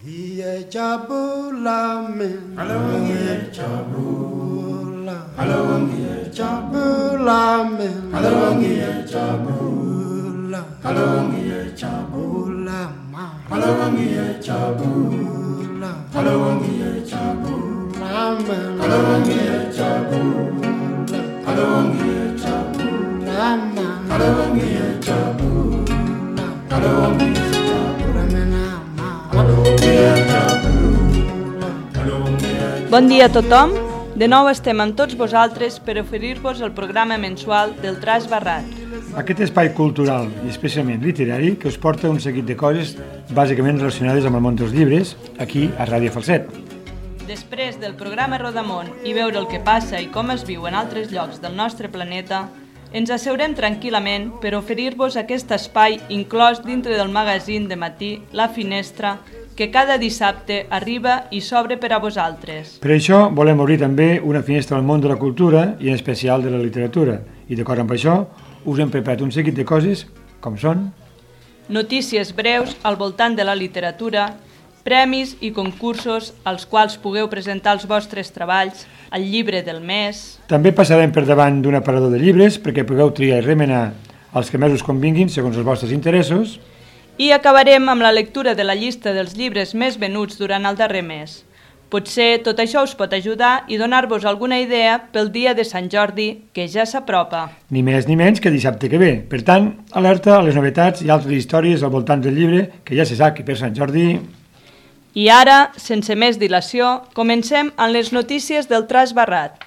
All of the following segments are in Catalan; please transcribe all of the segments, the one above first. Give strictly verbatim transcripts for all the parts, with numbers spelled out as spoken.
Hiye chabula men. Along here, Chabula. Along here, chabula men. Along here, Chabula. Along here, Chabula. Along here, Chabula. Along here, Chabula. Along here, Chabula. Along here, Chabula. Along here, Chabula. Along here, Chabula. Bon dia a tothom. De nou estem amb tots vosaltres per oferir-vos el programa mensual del Traç Barrat. Aquest espai cultural i especialment literari que us porta un seguit de coses bàsicament relacionades amb el món dels llibres aquí a Ràdio Falset. Després del programa Rodamont i veure el que passa i com es viu en altres llocs del nostre planeta, ens asseurem tranquil·lament per oferir-vos aquest espai inclòs dintre del magazín de matí La Finestra, que cada dissabte arriba i s'obre per a vosaltres. Per això volem obrir també una finestra al món de la cultura i en especial de la literatura. I d'acord amb això, us hem preparat un seguit de coses, com són... notícies breus al voltant de la literatura, premis i concursos als quals pugueu presentar els vostres treballs, el llibre del mes... També passarem per davant d'un aparador de llibres perquè pugueu triar i remenar els que més us convinguin segons els vostres interessos. I acabarem amb la lectura de la llista dels llibres més venuts durant el darrer mes. Potser tot això us pot ajudar i donar-vos alguna idea pel dia de Sant Jordi, que ja s'apropa. Ni més ni menys que dissabte que ve. Per tant, alerta a les novetats i altres històries al voltant del llibre, que ja se sap que per Sant Jordi... I ara, sense més dilació, comencem amb les notícies del Traç Barrat.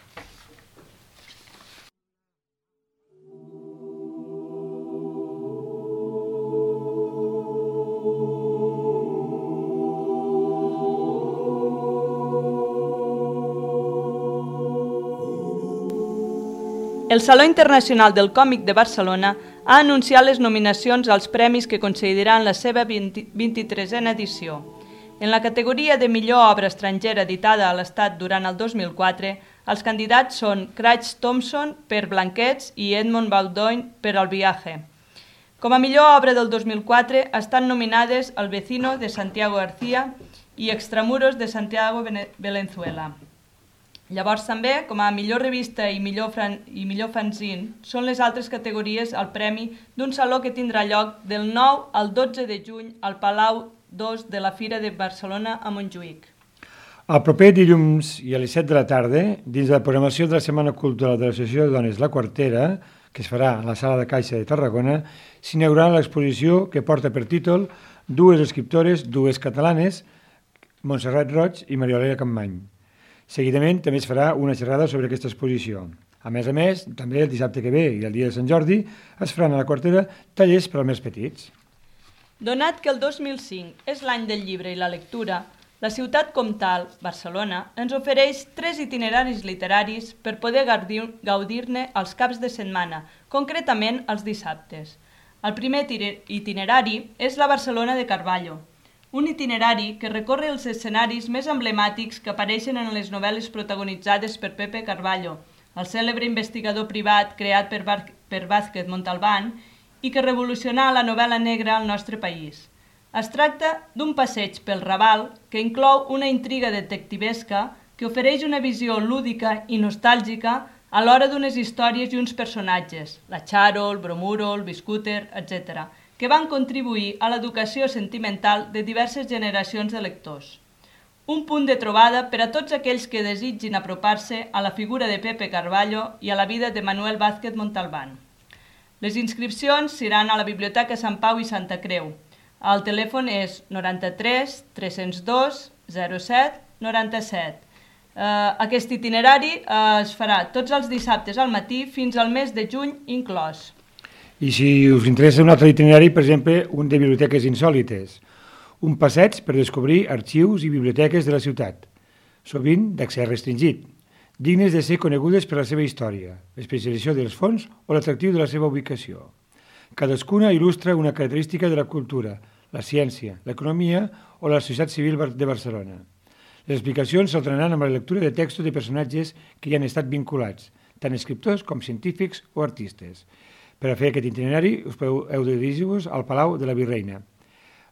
El Saló Internacional del Còmic de Barcelona ha anunciat les nominacions als premis que concediran la seva vint-i-tresena edició. En la categoria de millor obra estrangera editada a l'Estat durant el dos mil quatre, els candidats són Craig Thompson per Blanquets i Edmond Baudoin per El viaje. Com a millor obra del dos mil quatre estan nominades El vecino de Santiago García i Extramuros de Santiago Valenzuela. Llavors també, com a millor revista i millor, fran... i millor fanzine, són les altres categories al premi d'un saló que tindrà lloc del nou al dotze de juny al Palau dos de la Fira de Barcelona a Montjuïc. El proper dilluns i a les set de la tarda, dins de la programació de la Setmana Cultural de l'Associació de Dones La Quartera, que es farà a la Sala de Caixa de Tarragona, s'inaugurarà l'exposició que porta per títol dues escriptores, dues catalanes, Montserrat Roig i Mariolera Campmany. Seguidament també es farà una xerrada sobre aquesta exposició. A més a més, també el dissabte que ve i el dia de Sant Jordi es faran a la Quartera tallers per als més petits. Donat que el dos mil cinc és l'any del llibre i la lectura, la ciutat comtal, Barcelona, ens ofereix tres itineraris literaris per poder gaudir-ne als caps de setmana, concretament els dissabtes. El primer itinerari és la Barcelona de Carballo, un itinerari que recorre els escenaris més emblemàtics que apareixen en les novel·les protagonitzades per Pepe Carballo, el cèlebre investigador privat creat per, Bar- per Vázquez Montalbán i que revolucionà la novel·la negra al nostre país. Es tracta d'un passeig pel Raval que inclou una intriga detectivesca que ofereix una visió lúdica i nostàlgica a l'hora d'unes històries i uns personatges, la Charo, el Bromuro, el Biscúter, etcètera, que van contribuir a l'educació sentimental de diverses generacions de lectors. Un punt de trobada per a tots aquells que desitgin apropar-se a la figura de Pepe Carballo i a la vida de Manuel Vázquez Montalbán. Les inscripcions seran a la Biblioteca Sant Pau i Santa Creu. El telèfon és noranta-tres tres-cents dos zero set noranta-set. Uh, aquest itinerari uh, es farà tots els dissabtes al matí fins al mes de juny inclòs. I si us interessa un altre itinerari, per exemple, un de biblioteques insòlites, un passeig per descobrir arxius i biblioteques de la ciutat, sovint d'accés restringit, dignes de ser conegudes per la seva història, l'especialització dels fons o l'atractiu de la seva ubicació. Cadascuna il·lustra una característica de la cultura, la ciència, l'economia o la societat civil de Barcelona. Les explicacions s'alternaran amb la lectura de textos de personatges que hi han estat vinculats, tant escriptors com científics o artistes. Per a fer aquest itinerari us podeu, heu de dirigir-vos al Palau de la Virreina.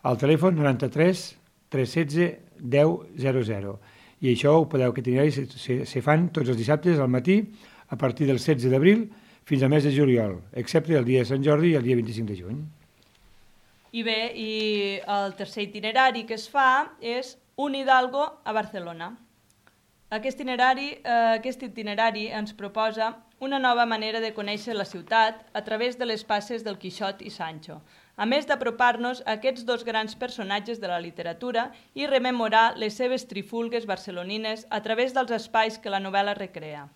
Al telèfon noranta-tres tres un sis deu zero zero. I això ho podeu que itineraris se, se fan tots els dissabtes al matí a partir del setze d'abril fins al mes de juliol, excepte el dia de Sant Jordi i el dia vint-i-cinc de juny. I bé, i el tercer itinerari que es fa és un Hidalgo a Barcelona. Aquest itinerari, eh, aquest itinerari ens proposa una nova manera de conèixer la ciutat a través de les passes del Quixot i Sancho, a més d'apropar-nos a aquests dos grans personatges de la literatura i rememorar les seves trifulgues barcelonines a través dels espais que la novel·la recrea.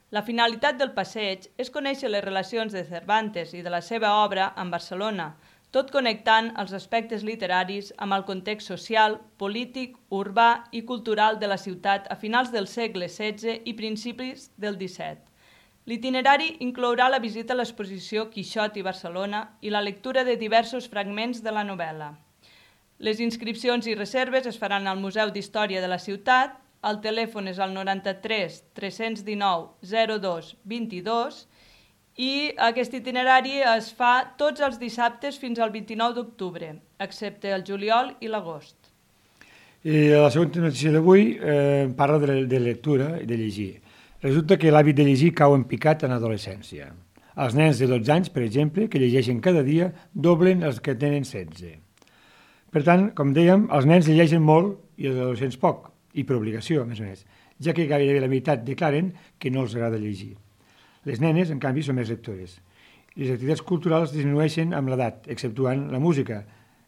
La finalitat del passeig és conèixer les relacions de Cervantes i de la seva obra amb Barcelona, tot connectant els aspectes literaris amb el context social, polític, urbà i cultural de la ciutat a finals del segle setze i principis del disset. L'itinerari inclourà la visita a l'exposició Quixot i Barcelona i la lectura de diversos fragments de la novel·la. Les inscripcions i reserves es faran al Museu d'Història de la ciutat, el telèfon és el noranta-tres tres cents dinou zero dos vint-i-dos i aquest itinerari es fa tots els dissabtes fins al vint-i-nou d'octubre, excepte el juliol i l'agost. I la segona notícia d'avui eh, parla de, de lectura i de llegir. Resulta que l'hàbit de llegir cau en picat en adolescència. Els nens de dotze anys, per exemple, que llegeixen cada dia, doblen els que tenen setze. Per tant, com dèiem, els nens llegeixen molt i els adolescents poc, i per obligació, a més a més, ja que gairebé la meitat declaren que no els agrada llegir. Les nenes, en canvi, són més lectores. Les activitats culturals disminueixen amb l'edat, exceptuant la música.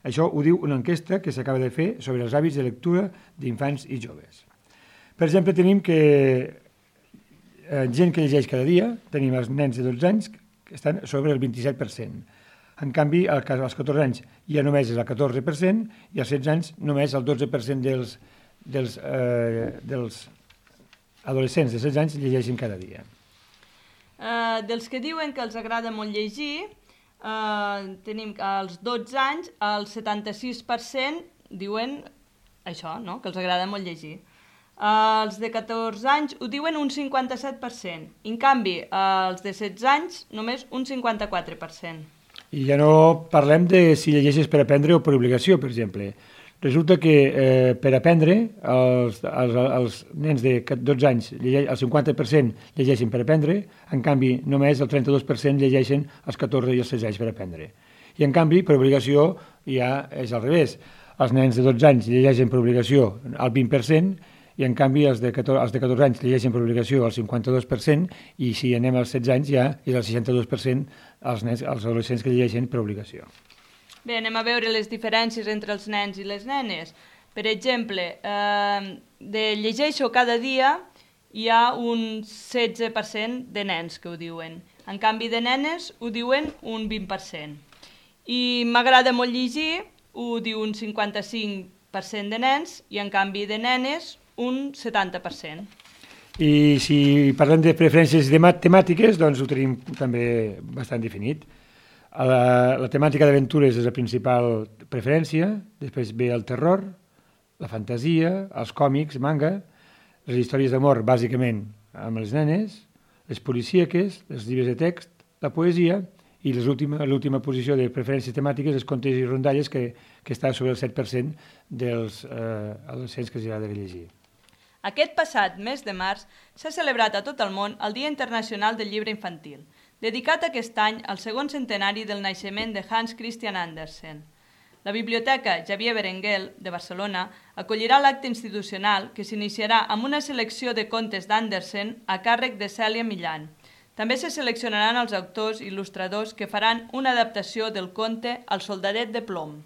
Això ho diu una enquesta que s'acaba de fer sobre els hàbits de lectura d'infants i joves. Per exemple, tenim que eh, gent que llegeix cada dia, tenim els nens de dotze anys que estan sobre el vint-i-set per cent. En canvi, als catorze anys ja només és el catorze per cent i als setze anys només el dotze per cent dels, dels, eh, dels adolescents de setze anys llegeixen cada dia. Uh, dels que diuen que els agrada molt llegir, uh, tenim als dotze anys, el setanta-sis per cent diuen això, no? Que els agrada molt llegir. Uh, els de catorze anys ho diuen un cinquanta-set per cent. En canvi, uh, els de setze anys només un cinquanta-quatre per cent. I ja no parlem de si llegeixes per aprendre o per obligació, per exemple. Resulta que eh, per aprendre, els, els, els nens de dotze anys, el cinquanta per cent llegeixen per aprendre, en canvi només el trenta-dos per cent llegeixen els catorze i els setze anys per aprendre. I en canvi, per obligació, ja és al revés. Els nens de dotze anys llegeixen per obligació el vint per cent i en canvi els de catorze, els de catorze anys llegeixen per obligació el cinquanta-dos per cent i si anem als setze anys ja és el seixanta-dos per cent els, nens, els adolescents que llegeixen per obligació. Bé, anem a veure les diferències entre els nens i les nenes. Per exemple, eh, de llegeixo cada dia hi ha un setze per cent de nens que ho diuen. En canvi de nenes ho diuen un vint per cent. I m'agrada molt llegir, ho diu un cinquanta-cinc per cent de nens i en canvi de nenes un setanta per cent. I si parlem de preferències temàtiques, doncs ho tenim també bastant definit. La, la temàtica d'aventures és la principal preferència, després ve el terror, la fantasia, els còmics, manga, les històries d'amor bàsicament amb les nenes, les policíaques, els llibres de text, la poesia i l'última posició de preferències temàtiques, els contes i rondalles, que, que està sobre el set per cent dels eh, adolescents que els agrada llegir. Aquest passat mes de març s'ha celebrat a tot el món el Dia Internacional del Llibre Infantil, dedicat aquest any al segon centenari del naixement de Hans Christian Andersen. La Biblioteca Xavier Berenguel de Barcelona acollirà l'acte institucional que s'iniciarà amb una selecció de contes d'Andersen a càrrec de Cèlia Millan. També se seleccionaran els autors i il·lustradors que faran una adaptació del conte El soldadet de plom.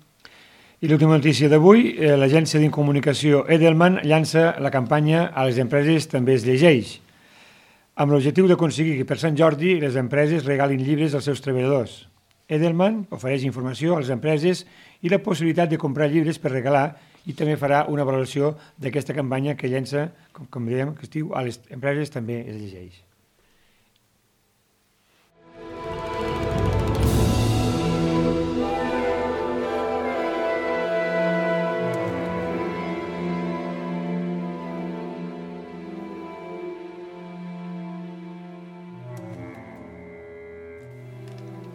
I l'última notícia d'avui, eh, l'agència d'incomunicació Edelman llança la campanya A les empreses també es llegeix, amb l'objectiu d'aconseguir que per Sant Jordi les empreses regalin llibres als seus treballadors. Edelman ofereix informació a les empreses i la possibilitat de comprar llibres per regalar i també farà una valoració d'aquesta campanya que llença, com, com dèiem, que es diu A les empreses també es llegeix.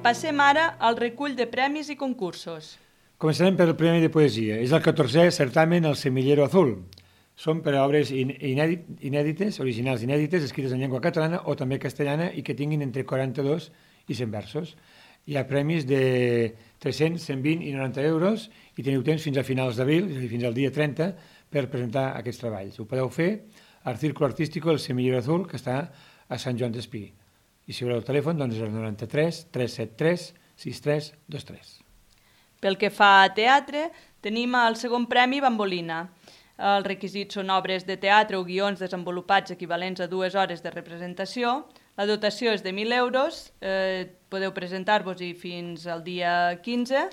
Passem ara al recull de premis i concursos. Començarem pel Premi de Poesia. És el catorzè certamen El Semillero Azul. Són per a obres inèdit, inèdites, originals inèdites, escrites en llengua catalana o també castellana i que tinguin entre quaranta-dos i cent versos. Hi ha premis de tres-cents, cent vint i noranta euros i teniu temps fins a finals d'abril, és a dir, fins al dia trenta, per presentar aquests treballs. Ho podeu fer al Círculo Artístico El Semillero Azul, que està a Sant Joan d'Espí. I si voleu el telèfon, doncs és el noranta-tres, tres set tres, sis tres dos tres. Pel que fa a teatre, tenim el segon premi Bambolina. Els requisits són obres de teatre o guions desenvolupats equivalents a dues hores de representació. La dotació és de mil euros, eh, podeu presentar-vos-hi fins al dia quinze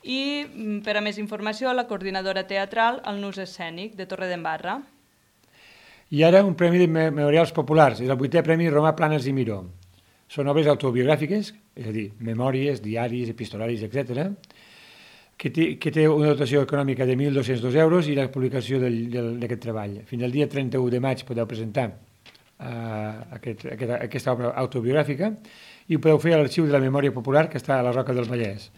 i per a més informació la coordinadora teatral al Nus Escènic de Torredembarra. I ara un premi de memorials populars, és el vuitè premi Romà Planes i Miró. Són obres autobiogràfiques, és a dir, memòries, diaris, epistolaris, etcètera, que té, que té una dotació econòmica de mil dos-cents dos euros i la publicació d'aquest treball. Fins al dia trenta-u de maig podeu presentar uh, aquest, aquesta, aquesta obra autobiogràfica i ho podeu fer a l'Arxiu de la Memòria Popular, que està a la Roca del Vallès.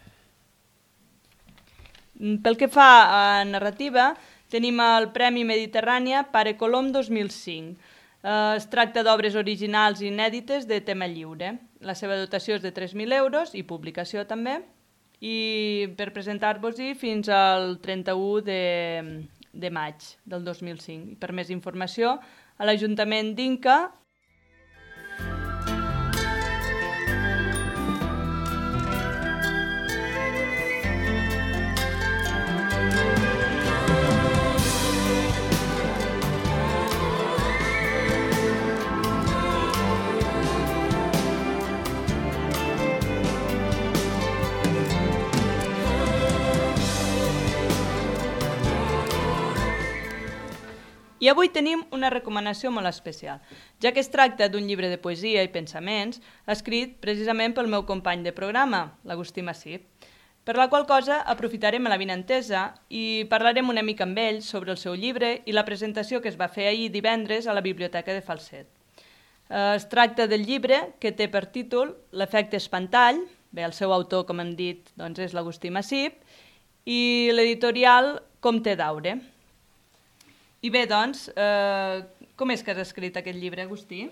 Pel que fa a narrativa, tenim el Premi Mediterrània Pare Colom dos mil cinc. Uh, es tracta d'obres originals i inèdites de tema lliure. La seva dotació és de tres mil euros i publicació també. I per presentar-vos-hi fins al trenta-u de, de maig del dos mil cinc. I per més informació, a l'Ajuntament d'Inca. I avui tenim una recomanació molt especial, ja que es tracta d'un llibre de poesia i pensaments escrit precisament pel meu company de programa, l'Agustí Massip, per la qual cosa aprofitarem la vinentesa i parlarem una mica amb ell sobre el seu llibre i la presentació que es va fer ahir divendres a la Biblioteca de Falset. Es tracta del llibre que té per títol L'efecte espantall, bé, el seu autor, com hem dit, doncs és l'Agustí Massip, i l'editorial Comte d'Aure. I bé, doncs, eh, com és que has escrit aquest llibre, Agustí?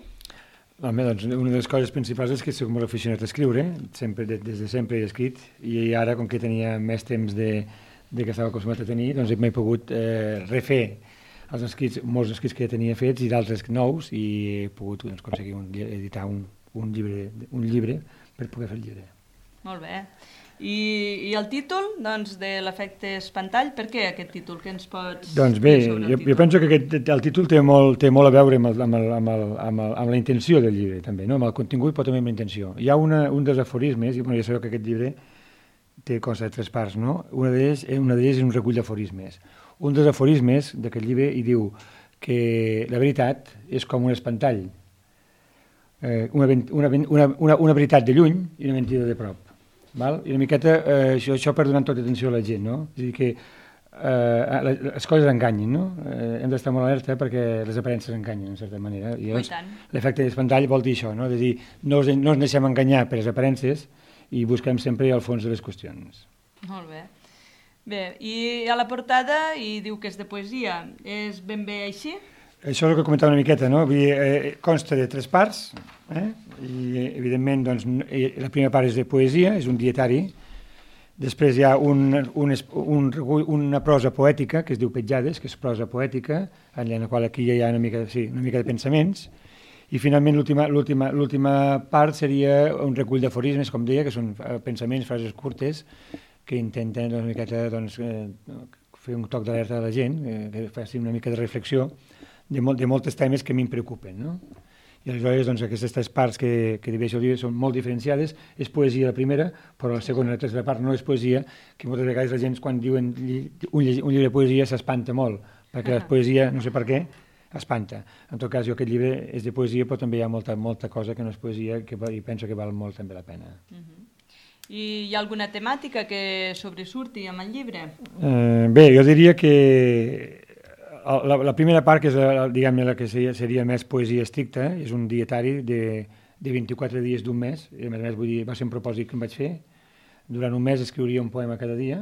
Home, doncs, una de les coses principals és que soc molt aficionat a escriure, sempre, des de sempre he escrit, i ara, com que tenia més temps de, de que estava acostumat a tenir, doncs m'he pogut eh, refer els escrits, molts escrits que ja tenia fets i d'altres nous, i he pogut doncs, aconseguir un, editar un, un, llibre, un llibre per poder fer el llibre. Molt bé. I, i el títol, doncs, de l'efecte espantall, per què aquest títol? Què ens pots doncs bé, dir sobre el jo, títol? jo penso que aquest, el títol té molt, té molt a veure amb, el, amb, el, amb, el, amb, el, amb la intenció del llibre, també, no? Amb el contingut, però també amb la intenció. Hi ha una, un dels aforismes, i bueno, ja sabeu que aquest llibre té cosa de tres parts, no? Una d'ells una és un recull d'aforismes. Un dels aforismes d'aquest llibre hi diu que la veritat és com un espantall, eh, una, una, una, una, una veritat de lluny i una mentida de prop. Val? I una miqueta eh, això, això per donar tota atenció a la gent, no? És a dir, que eh, les coses enganyen, no? Eh, hem d'estar molt alerta perquè les aparences enganyen, en certa manera. I llavors, l'efecte d'espantall vol dir això, no? És a dir, no ens, no ens deixem enganyar per les aparences i busquem sempre al fons de les qüestions. Molt bé. Bé, i a la portada hi diu que és de poesia. És ben bé així? Això és el que comentava una miqueta, no? Vull dir, eh, consta de tres parts, eh? I evidentment doncs, la primera part és de poesia, és un dietari, després hi ha un, un, un, una prosa poètica que es diu Petjades, que és prosa poètica, en la qual aquí hi ha una mica, sí, una mica de pensaments, i finalment l'última part seria un recull d'aforismes, com deia, que són pensaments, frases curtes, que intenten doncs, una miqueta, doncs, eh, fer un toc d'alerta a la gent, eh, que faci una mica de reflexió de, molt, de moltes temes que a mi em preocupen, no? I aleshores doncs, aquestes tres parts que, que divideix el llibre són molt diferenciades. És poesia la primera, però la segona i la tercera part no és poesia, que moltes vegades la gent quan diuen un, un llibre de poesia s'espanta molt, perquè uh -huh. la poesia, no sé per què, espanta. En tot cas, jo aquest llibre és de poesia, però també hi ha molta, molta cosa que no és poesia que, i penso que val molt també la pena. Uh -huh. I hi ha alguna temàtica que sobresurti amb el llibre? Eh, bé, jo diria que La, la primera part, que és la, diguem, la que seria, seria més poesia estricta, és un dietari de, de vint-i-quatre dies d'un mes, i a més a més vull dir, va ser un propòsit que em vaig fer. Durant un mes escriuria un poema cada dia,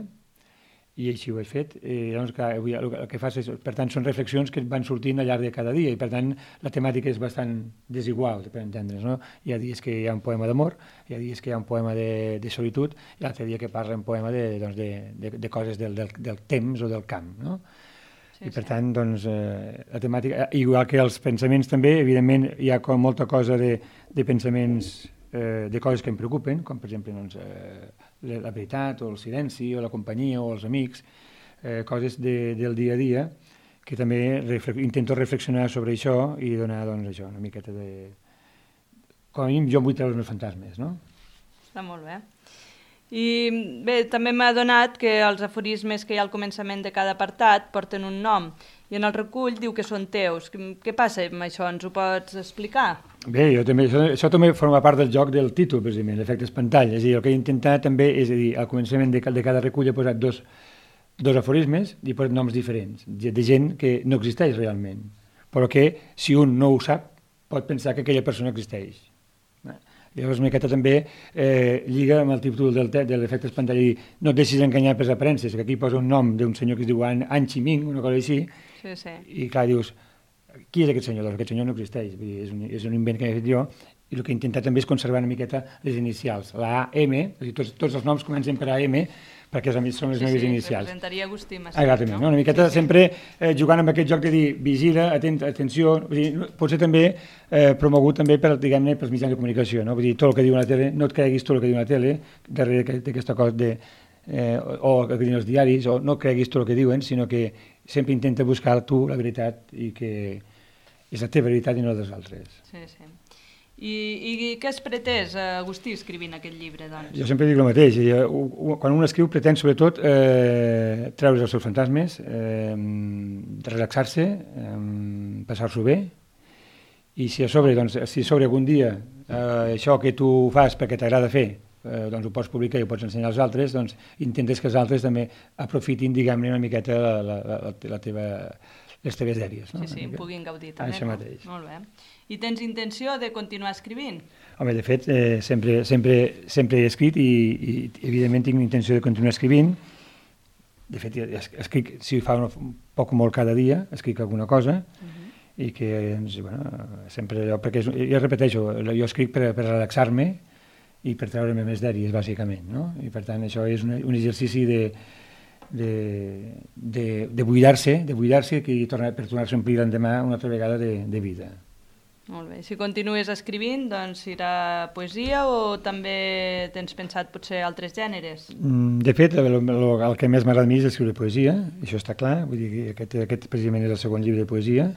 i així ho he fet. Eh, llavors, clar, avui el que fas és, per tant, són reflexions que van sortint al llarg de cada dia i, per tant, la temàtica és bastant desigual, per entendre's, no? Hi ha dies que hi ha un poema d'amor, hi ha dies que hi ha un poema de, de solitud i l'altre dia que parla un poema de, doncs, de, de, de coses del, del, del temps o del camp, no? Sí, I, per sí. tant, doncs, eh, la temàtica... Igual que els pensaments també, evidentment, hi ha com molta cosa de, de pensaments, eh, de coses que em preocupen, com, per exemple, doncs, eh, la veritat, o el silenci, o la companyia, o els amics, eh, coses de, del dia a dia, que també refle intento reflexionar sobre això i donar, doncs, això, una miqueta de... Com a mínim, jo em vull treure els meus fantasmes, no? Està molt bé. I bé, també m'ha donat que els aforismes que hi ha al començament de cada apartat porten un nom, i en el recull diu que són teus. Què passa amb això? Ens ho pots explicar? Bé, jo també, això, això també forma part del joc del títol, precisament, l'efecte espantall. És a dir, el que he intentat també és a dir, al començament de, de cada recull he posat dos, dos aforismes i he posat noms diferents, de gent que no existeix realment, però que si un no ho sap pot pensar que aquella persona existeix. Llavors, una miqueta també eh, lliga amb el títol del de l'efecte espantall i no et deixis enganyar per les aparences, que aquí posa un nom d'un senyor que es diu An, An Chi Minh, una cosa així, sí, sí. I clar, dius, qui és aquest senyor? Doncs aquest senyor no existeix, vull dir, és, un, és un invent que he fet jo, i el que he intentat també és conservar una miqueta les inicials, la A M, és a dir, tots, tots els noms comencen per A M, perquè són les sí, meves sí, inicials. Sí, representaria Agustí Macià. Exactament, no? Una miqueta sí, sí. sempre eh, jugant amb aquest joc de dir vigila, atent, atenció, vull dir, pot ser també eh, promogut també per, diguem-ne, pels mitjans de comunicació, no? Vull dir, tot el que diu la tele, no et creguis tot el que diu la tele, darrere d'aquesta cosa de, eh, o el que diuen els diaris, o no creguis tot el que diuen, sinó que sempre intenta buscar tu la veritat i que és la teva veritat i no dels altres. Sí, sí. I, i què has pretès, Agustí, escrivint aquest llibre, doncs? Jo sempre dic el mateix. Quan un escriu pretén, sobretot, eh, treure's els seus fantasmes, eh, relaxar-se, eh, passar-s'ho bé, i si a sobre, doncs, si a sobre algun dia eh, això que tu fas perquè t'agrada fer, eh, doncs ho pots publicar i ho pots ensenyar als altres, doncs intentes que els altres també aprofitin, diguem-ne, una miqueta la, la, la, la teva... les teves dèries. No? Sí, sí, en puguin gaudir també. Això mateix. Molt bé. I tens intenció de continuar escrivint? Home, de fet, eh, sempre, sempre, sempre he escrit i, i evidentment tinc intenció de continuar escrivint. De fet, escric, si fa un poc o molt cada dia, escric alguna cosa, uh-huh. i que, doncs, bueno, sempre allò, perquè és, jo repeteixo, jo escric per, per relaxar-me i per treure-me més dèries, bàsicament, no? I per tant, això és un, un exercici de de, de, de buidar-se, de buidar-se i tornar, per tornar-se a omplir l'endemà una altra vegada de, de vida. Molt bé. Si continues escrivint, doncs serà poesia o també tens pensat potser altres gèneres? De fet, el, el, el que més m'agrada a mi és escriure poesia, això està clar, vull dir que aquest, aquest precisament és el segon llibre de poesia.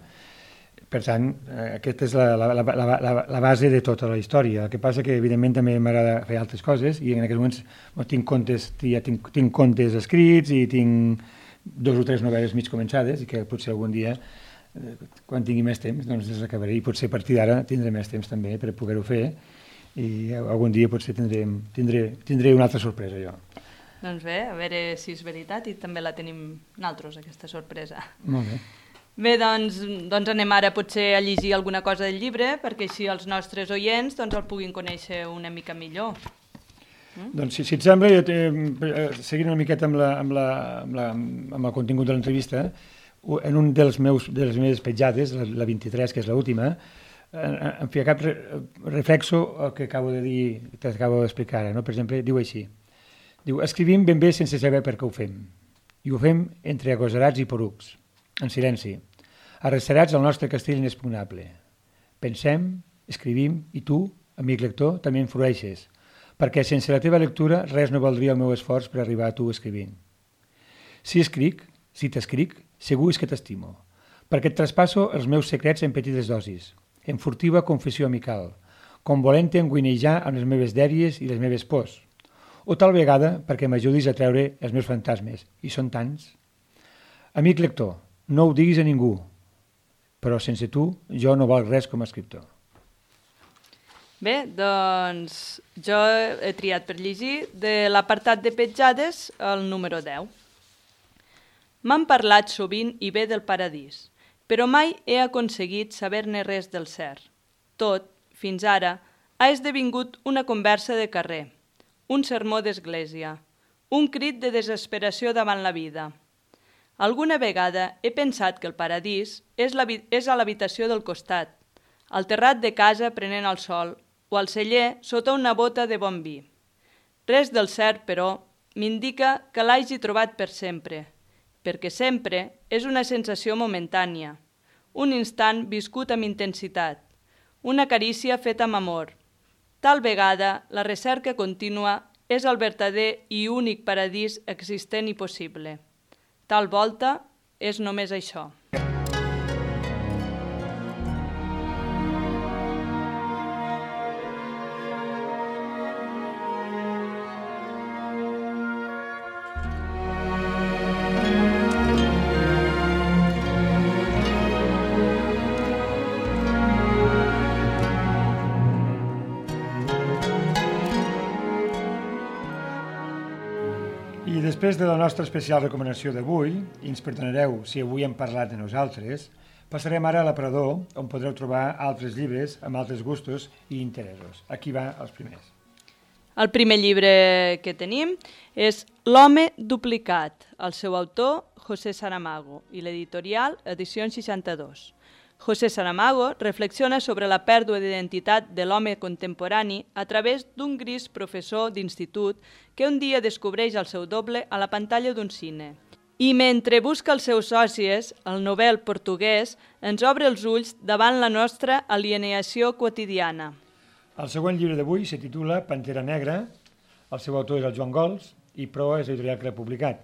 Per tant, aquesta és la, la, la, la, la base de tota la història. El que passa que, evidentment, també m'agrada fer altres coses i en aquests moments no, tinc, contes, ja tinc, tinc contes escrits i tinc dos o tres novel·les mig començades i que potser algun dia, quan tingui més temps, doncs les acabaré i potser a partir d'ara tindré més temps també per poder-ho fer i algun dia potser tindré, tindré, tindré una altra sorpresa jo. Doncs bé, a veure si és veritat i també la tenim nosaltres, aquesta sorpresa. Molt bé. Bé, doncs, doncs anem ara potser a llegir alguna cosa del llibre perquè així els nostres oients doncs, el puguin conèixer una mica millor. Mm? Doncs si, si et sembla, jo te, seguint una miqueta amb, la, amb, la, amb, la, amb el contingut de l'entrevista, en un dels meus, de les meves petjades, la, la vint-i-tres, que és l'última, en fi, a cap reflexo el que acabo de dir, que acabo d'explicar ara, no? Per exemple, diu així, diu, escrivim ben bé sense saber per què ho fem, i ho fem entre agosarats i porucs, en silenci, arrecerats al nostre castell inexpugnable. Pensem, escrivim, i tu, amic lector, també influeixes, perquè sense la teva lectura res no valdria el meu esforç per arribar a tu escrivint. Si escric, si t'escric, segur és que t'estimo, perquè et traspasso els meus secrets en petites dosis, en furtiva confessió amical, com volent-te enguinejar amb les meves dèries i les meves pors, o tal vegada perquè m'ajudis a treure els meus fantasmes, i són tants. Amic lector, no ho diguis a ningú, però sense tu jo no valc res com a escriptor. Bé, doncs jo he triat per llegir de l'apartat de petjades el número deu. M'han parlat sovint i bé del paradís, però mai he aconseguit saber-ne res del cert. Tot, fins ara, ha esdevingut una conversa de carrer, un sermó d'església, un crit de desesperació davant la vida. Alguna vegada he pensat que el paradís és, la, és a l'habitació del costat, al terrat de casa prenent el sol o al celler sota una bota de bon vi. Res del cert, però, m'indica que l'hagi trobat per sempre, perquè sempre és una sensació momentània, un instant viscut amb intensitat, una carícia feta amb amor. Tal vegada la recerca contínua és el vertader i únic paradís existent i possible. Tal volta és només això. I després de la nostra especial recomanació d'avui, i ens perdonareu si avui hem parlat de nosaltres, passarem ara a l'aparador, on podreu trobar altres llibres amb altres gustos i interessos. Aquí va els primers. El primer llibre que tenim és L'home duplicat, el seu autor José Saramago i l'editorial Edicions seixanta-dos. José Saramago reflexiona sobre la pèrdua d'identitat de l'home contemporani a través d'un gris professor d'institut que un dia descobreix el seu doble a la pantalla d'un cine. I mentre busca els seus sòcies, el novel portuguès ens obre els ulls davant la nostra alienació quotidiana. El següent llibre d'avui se titula Pantera Negra, el seu autor és el Joan Gols i Proa és l'editorial que l'ha publicat.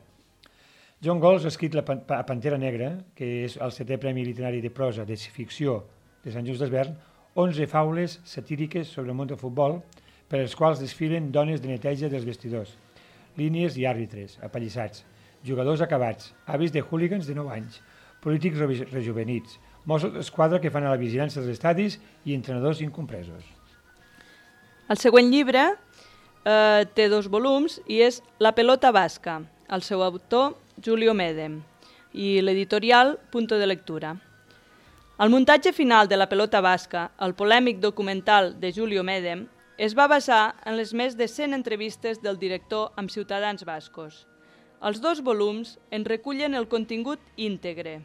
Joan Gols ha escrit la Pantera Negra, que és el setè Premi Literari de Prosa de Ficció de Sant Just Desvern, onze faules satíriques sobre el món del futbol, per als quals desfilen dones de neteja dels vestidors, línies i àrbitres, apallissats, jugadors acabats, avis de hooligans de nou anys, polítics rejuvenits, Mossos d'Esquadra que fan a la vigilància dels estadis i entrenadors incompresos. El següent llibre eh, té dos volums i és La pelota basca, el seu autor Julio Medem i l'editorial Punto de Lectura. El muntatge final de La pelota basca, el polèmic documental de Julio Medem, es va basar en les més de cent entrevistes del director amb ciutadans bascos. Els dos volums en recullen el contingut íntegre,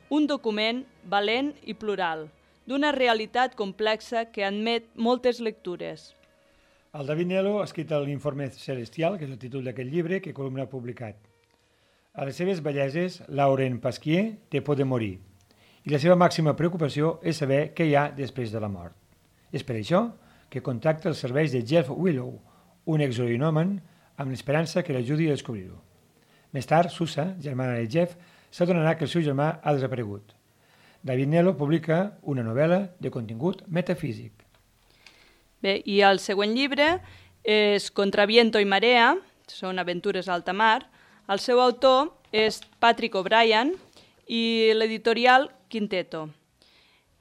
un document valent i plural, d'una realitat complexa que admet moltes lectures. El David Nelo ha escrit l'Informe Celestial, que és el títol d'aquest llibre que Columna ha publicat. A les seves belleses, Laurent Pasquier té por de morir, i la seva màxima preocupació és saber què hi ha després de la mort. És per això que contacta els serveis de Jeff Willow, un exorinòman, amb l'esperança que l'ajudi a descobrir-ho. Més tard, Susa, germana de Jeff, s'adonarà que el seu germà ha desaparegut. David Nelo publica una novel·la de contingut metafísic. Bé, i el següent llibre és Contra viento y marea, són aventures a alta mar. El seu autor és Patrick O'Brian i l'editorial Quinteto.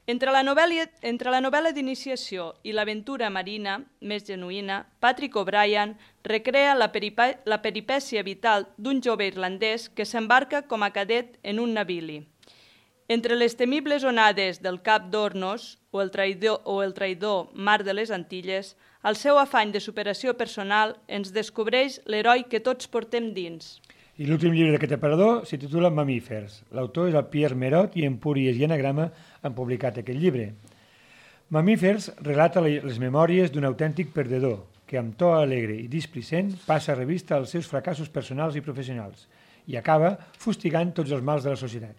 Entre la novel·la, entre la novel·la d'iniciació i l'aventura marina més genuïna, Patrick O'Brian recrea la, peripa, la peripècia vital d'un jove irlandès que s'embarca com a cadet en un navili. Entre les temibles onades del Cap d'Hornos o el traïdor, o el traïdor Mar de les Antilles, el seu afany de superació personal ens descobreix l'heroi que tots portem dins. I l'últim llibre d'aquest aparador s'hi titula Mamífers. L'autor és el Pierre Merot i Empúries i Anagrama han publicat aquest llibre. Mamífers relata les memòries d'un autèntic perdedor que amb to alegre i displicent passa a revista als seus fracassos personals i professionals i acaba fustigant tots els mals de la societat.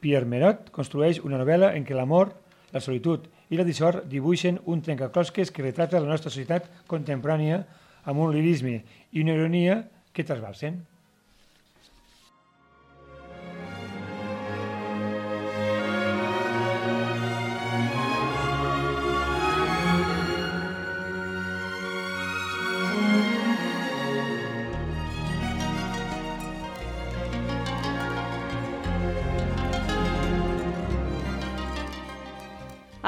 Pierre Merot construeix una novel·la en què l'amor, la solitud i la dissort dibuixen un trencaclosques que retrata la nostra societat contemporània amb un lirisme i una ironia que trasbalsen.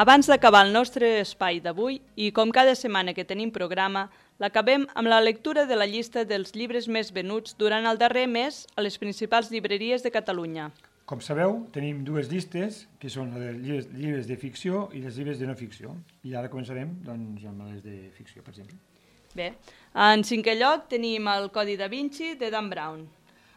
Abans d'acabar el nostre espai d'avui, i com cada setmana que tenim programa, l'acabem amb la lectura de la llista dels llibres més venuts durant el darrer mes a les principals llibreries de Catalunya. Com sabeu, tenim dues llistes, que són les llibres, llibres de ficció i les llibres de no ficció. I ara començarem doncs, amb les de ficció, per exemple. Bé, en cinquè lloc tenim el Codi da Vinci de Dan Brown.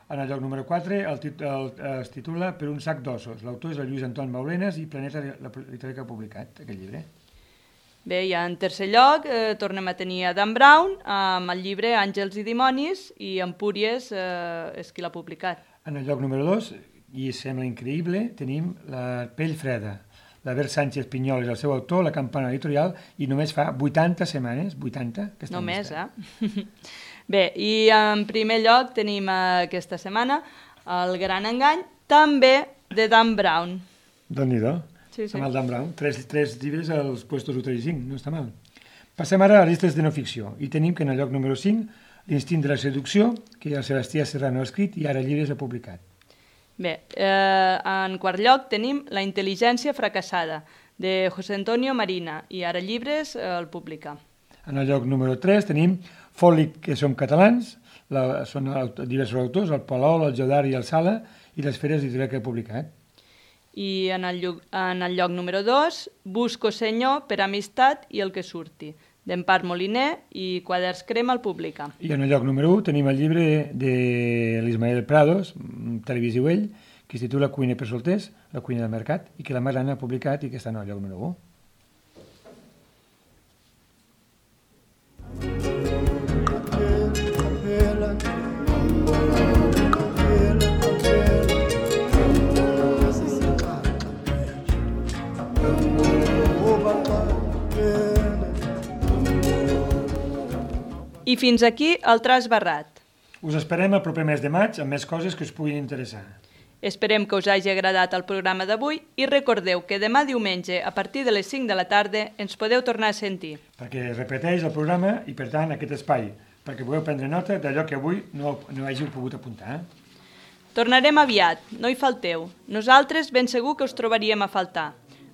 En el lloc número quatre el tit el, es titula Per un sac d'ossos. L'autor és el Lluís Anton Maulenes i Planeta Literari que ha publicat aquest llibre. Bé, i en tercer lloc eh, tornem a tenir a Dan Brown amb el llibre Àngels i dimonis i Empúries eh, és qui l'ha publicat. En el lloc número dos, i sembla increïble, tenim La pell freda. L'Albert Sánchez Pinyol és el seu autor, La campana editorial, i només fa vuitanta setmanes, vuitanta, que està Només, llista. eh? Bé, i en primer lloc tenim aquesta setmana El gran engany, també de Dan Brown. Déu-n'hi-do. Sí, sí. Amb el Dan Brown. Tres, tres llibres als puestos u tres i cinc, no està mal. Passem ara a les llistes de no ficció. I tenim que en el lloc número cinc, L'instint de la seducció, que el Sebastià Serrano ha escrit i ara llibres ha publicat. Bé, eh, en quart lloc tenim La intel·ligència fracassada, de José Antonio Marina, i ara llibres eh, el publica. En el lloc número tres tenim Fòlic, que som catalans, la, són diversos autors, el Palol, el Jodar i el Sala, i les Feres editorials que ha publicat. I en el, lloc, en el lloc número dos, Busco senyor per amistat i el que surti, d'Empar Moliner i Quaderns Crema el publica. I en el lloc número u tenim el llibre de l'Ismael Prados, televisiu ell, que es titula Cuina per solters, la cuina del mercat, i que la Marana ha publicat i que està en el lloc número u. I fins aquí el Tras Barrat. Us esperem el proper mes de maig amb més coses que us puguin interessar. Esperem que us hagi agradat el programa d'avui i recordeu que demà diumenge, a partir de les cinc de la tarda, ens podeu tornar a sentir. Perquè es repeteix el programa i, per tant, aquest espai, perquè pugueu prendre nota d'allò que avui no, no hàgiu pogut apuntar. Tornarem aviat, no hi falteu. Nosaltres ben segur que us trobaríem a faltar.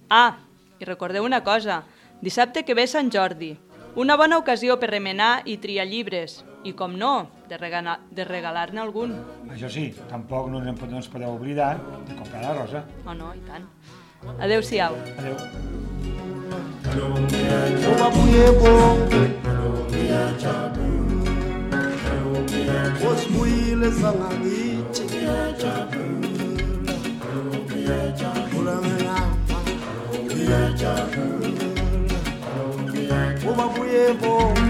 Ah, i recordeu una cosa, dissabte que ve Sant Jordi. Una bona ocasió per remenar i triar llibres. I, com no, de, regala, de regalar-ne algun. Això sí, tampoc no ens, no ens podeu oblidar de comprar la rosa. Oh, no, i tant. Adéu-siau. Adéu. Uba buye bo